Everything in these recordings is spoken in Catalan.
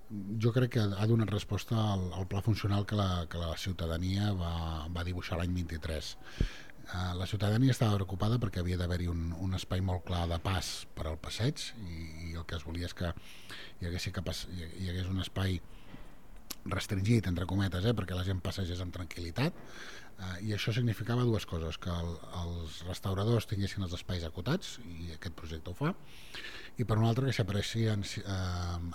Jo crec que ha donat resposta al pla funcional que la ciutadania va dibuixar l'any 23. La ciutadania estava preocupada perquè havia d'haver-hi un espai molt clar de pas per al passeig i el que es volia és que hi hagués un espai restringit, entre cometes, perquè la gent passegés amb tranquil·litat, i això significava dues coses: que els restauradors tinguessin els espais acotats, i aquest projecte ho fa, i per una altra que si apareixien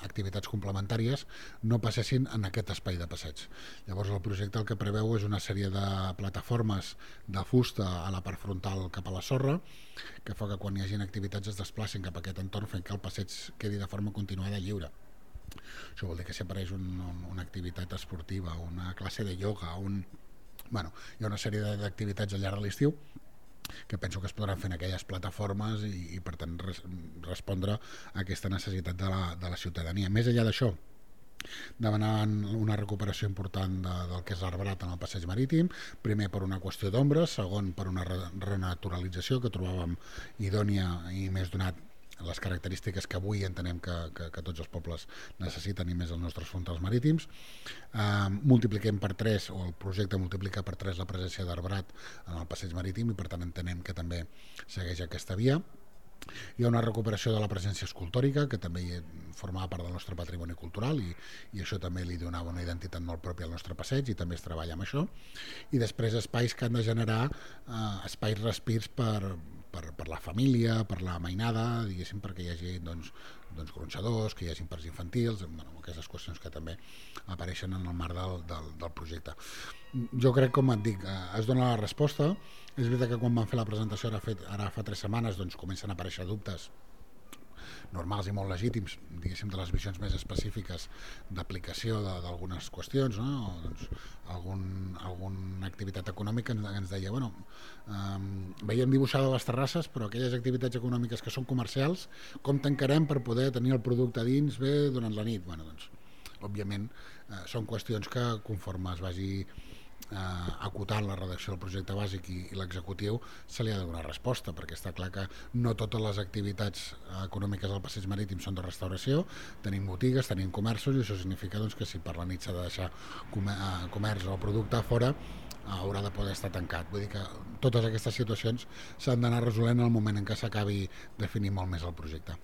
activitats complementàries no passessin en aquest espai de passeig. Llavors el projecte el que preveu és una sèrie de plataformes de fusta a la part frontal cap a la sorra, que fa que quan hi hagi activitats es desplacin cap a aquest entorn fent que el passeig quedi de forma continuada i lliure. Això vol dir que si apareix una activitat esportiva, una classe de ioga, bueno, hi ha una sèrie d'activitats al llarg de l'estiu que penso que es podran fer en aquelles plataformes i per tant respondre a aquesta necessitat de la ciutadania. Més enllà d'això, demanant una recuperació important del que és l'arbrat en el passeig marítim, primer per una qüestió d'ombra, segon per una renaturalització que trobàvem idònia i més donat les característiques que avui entenem que tots els pobles necessiten, i més els nostres frontals marítims. Multipliquem per 3, o el projecte multiplica per 3 la presència d'arbrat en el passeig marítim, i per tant entenem que també segueix aquesta via. Hi ha una recuperació de la presència escultòrica, que també formava part del nostre patrimoni cultural, i això també li donava una identitat molt pròpia al nostre passeig, i també es treballa amb això. I després espais que han de generar espais respirs per la família, per la mainada, diguéssim, perquè hi hagi gronxadors, que hi hagi parcs infantils, aquestes qüestions que també apareixen en el marc del projecte. Jo crec, com et dic, es dona la resposta. És veritat que quan vam fer la presentació ara fa 3 setmanes comencen a aparèixer dubtes normals i molt legítims, diguéssim, de les visions més específiques d'aplicació d'algunes qüestions, no? Alguna activitat econòmica ens deia, veiem dibuixades les terrasses, però aquelles activitats econòmiques que són comercials, com tancarem per poder tenir el producte dins bé durant la nit? Òbviament són qüestions que conforme es vagi acotant la redacció del projecte bàsic i l'executiu se li ha de donar resposta, perquè està clar que no totes les activitats econòmiques del passeig marítim són de restauració. Tenim botigues, tenim comerços, i això significa que si per la nit s'ha de deixar comerç o producte a fora, haurà de poder estar tancat. Vull dir que totes aquestes situacions s'han d'anar resolent en el moment en què s'acabi definint molt més el projecte.